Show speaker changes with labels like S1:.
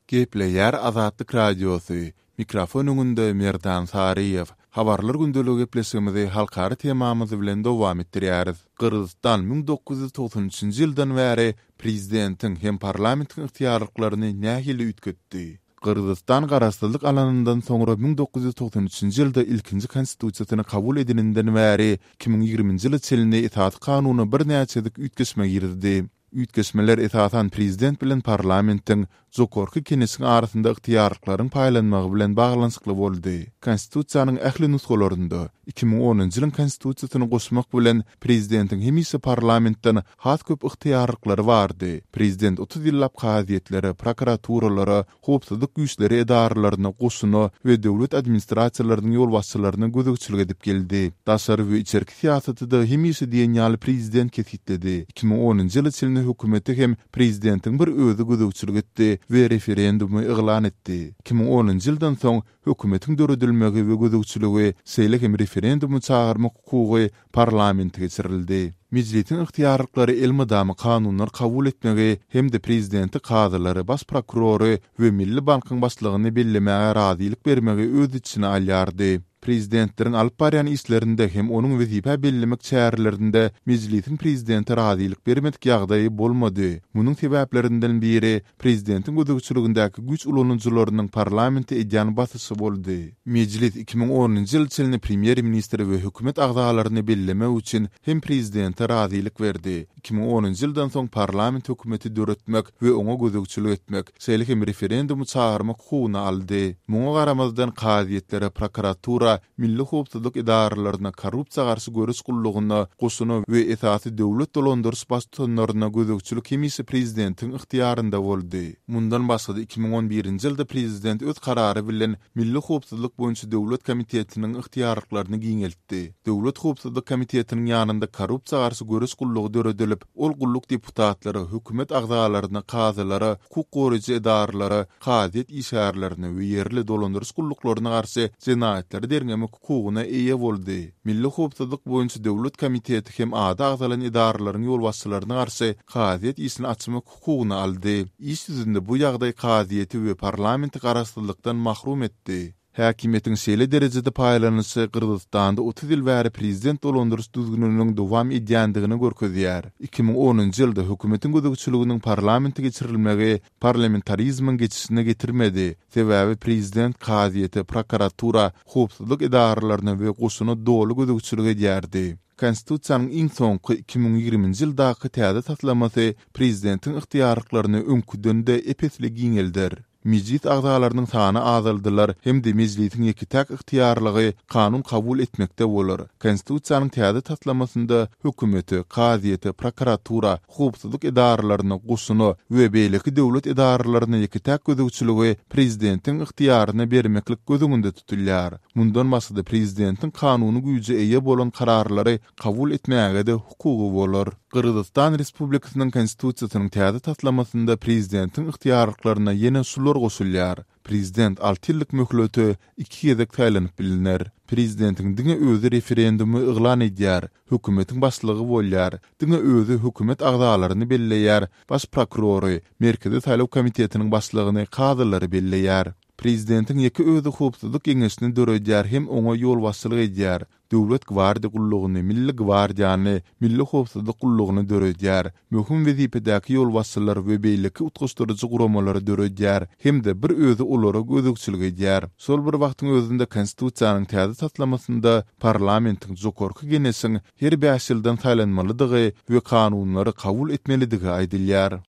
S1: Gepleýär Azatlyk Radiosy, Mikrofon öňünde Merdan Saryýew. Habarlar gündeligi gepleşigimizi halkara temamyz bilen dowam etdirýäris. Gyrgyzystan 1993-nji ýyldan bäri prezidentiň hem parlamentiň ygtyýarlyklaryny nähili üýtgetdi? Gyrgyzystan garaşsyzlyk alanyndan soňra 1993-nji ýylda ilkinji konstitusiýasyny kabul edeninden bäri 2020-nji ýyla çenli esasy kanuna birnäçe gezek üýtgeşme girizdi. Üýtgeşmeler esasan prezident bilen parlamentiň, Jokorky Keneşiň arasynda ygtyýarlyklaryň paýlanmagy bilen baglanyşykly boldy. Konstitusiýanyň ähli nusgalarynda, 2010-njy ýylyň Konstitusiýasyny goşmak bilen, prezidentiň hemişe parlamentden has köp ygtyýarlyklary bardy. Prezident 30 ýyllap kazyýetlere, prokuraturalara, howpsuzlyk güýçleri edaralaryna, goşuna we döwlet administrasiýalarynyň ýolbaşçylaryna gözegçilik edip geldi. Daşary we içerki syýasaty-da hemişe diýen ýaly prezident kesgitledi. 2010-njy ýyla çenli hökümete hem prezidentiň bir özi gözegçilik etdi we referendumy yglan etdi. 2010-njy ýyldan soň hökümetiň döredilmegi we gözegçiligi, şeýle hem referendumy çagyrmak hukugy parlamente geçirildi. Mejlisiň ygtyýarlyklary elmydama kanunlar kabul etmegi hem-de prezidenti, kazylary, baş prokurory we Milli bankyň başlygyny bellemäge razylyk bermegi öz içine alýardy. Prezidentleriň alyp barýan işlerinde hem onuň wezipä bellemek çärelerinde Mejlisiň prezidente razylyk bermedik ýagdaýy bolmady. Munuň sebäplerinden biri prezidentiň gözegçiligindäki güýç ulanyjylarynyň parlamente edýän basyşy boldy. Mejlis 2010-njy ýyl çenli premýer-ministri we hökümet agzalaryny bellemek üçin hem prezidente razylyk berdi. 2010-njy ýyldan soň parlament hökümeti döretmek we oňa gözegçilik etmek, şeýle hem referendumy çagyrmak hukugyny aldy. Muňa garamazdan, kazyýetlere, prokuratura, milli howpsuzlyk edaralaryna, korrupsiýa garşy göreş gullugyna, goşuna we esasy döwlet dolandyryş baştutanlaryna gözegçilik hemişe prezidentiň ygtyýarynda boldy. Mundan başga-da, 2011-nji ýylda prezident öz karary bilen Milli howpsuzlyk boýunça döwlet komitetiniň ygtyýarlyklaryny giňeltdi. Döwlet howpsuzlyk komitetiniň ýanynda korrupsiýa garşy göreş gullugy döredilip, ol gulluk deputatlara, hökümet agzalaryna, kazylara, hukuk goraýjy edaralara, kazyýet işgärlerine we ýerli dolandyryş gulluklaryna garşy jenaýatlary derňemek hukugyna eýe boldy. Milli howpsuzlyk boýunça döwlet komiteti hem ady agzalan edaralaryň ýolbaşçylaryna garşy kazyýet işini açmak hukugyny aldy. Iş ýüzünde bu ýagdaý kazyýeti we parlamenti garaşsyzlykdan mahrum etdi. Häkimiýetiň şeýle derejede paýlanyşy Gyrgyzystanda 30 ýyl bäri prezident dolandyryş düzgüniniň dowam edýändigini görkezýär. 2010-njy ýylda hökümetiň gözegçiliginiň parlamente geçirilmegi parlamentarizmiň geçişine getirmedi, sebäbi prezident kazyýete, prokuratura, howpsuzlyk edaralaryna we goşuna doly gözegçilik edýärdi. Konstitusiýanyň iň soňky, 2020-nji ýyldaky täze taslamasy prezidentiň ygtyýarlyklaryny öňküden-de ep-esli giňelder. Mejlis agzalarynyň sany azaldylar hem-de Mejlisiň ýeke-täk ygtyýarlygy kanun kabul etmekde bolar. Konstitusiýanyň täze taslamasynda hökümete, kazyýete, prokuratura, howpsuzlyk edaralaryna, goşuna we beýleki döwlet edaralaryna ýeke-täk gözegçiligi prezidentiň ygtyýaryna bermeklik göz öňünde tutulýar. Mundan başga-da prezidentiň kanuny güýje eýe bolan kararlary kabul etmäge-de hukugy bolar. Gyrgyzystan Respublikasynyň Konstitusiýasynyň täze taslamasynda prezidentiň ygtyýarlyklaryna ýene şular goşulýar, prezident alty ýyllyk möhlete iki gezek saýlanyp bilner. Prezidentiň diňe özi referendumy yglan edýär, hökümetiň başlygy bolýar, diňe özi hökümet agzalaryny belleýär, baş prokurory, Merkezi saýlaw komitetiniň başlygyny, kazylary belleýär. Prezidentiň ýeke özi Howpsuzlyk geňeşini döredýär hem oňa ýolbaşçylyk edýär, Döwlet gwardiýa gullugyny, Milli gwardiýany, Milli howpsuzlyk gullugyny döredýär, möhüm wezipedäki ýolbaşçylary we beýleki utgaşdyryjy guramalary döredýär hem-de bir özi olara gözegçilik edýär. Şol bir wagtyň özünde Konstitusiýanyň täze taslamasynda parlamentiň, Jokorky Geneşiň her bäş ýyldan saýlanmalydygy we kanunlary kabul etmelidigi aýdylýar.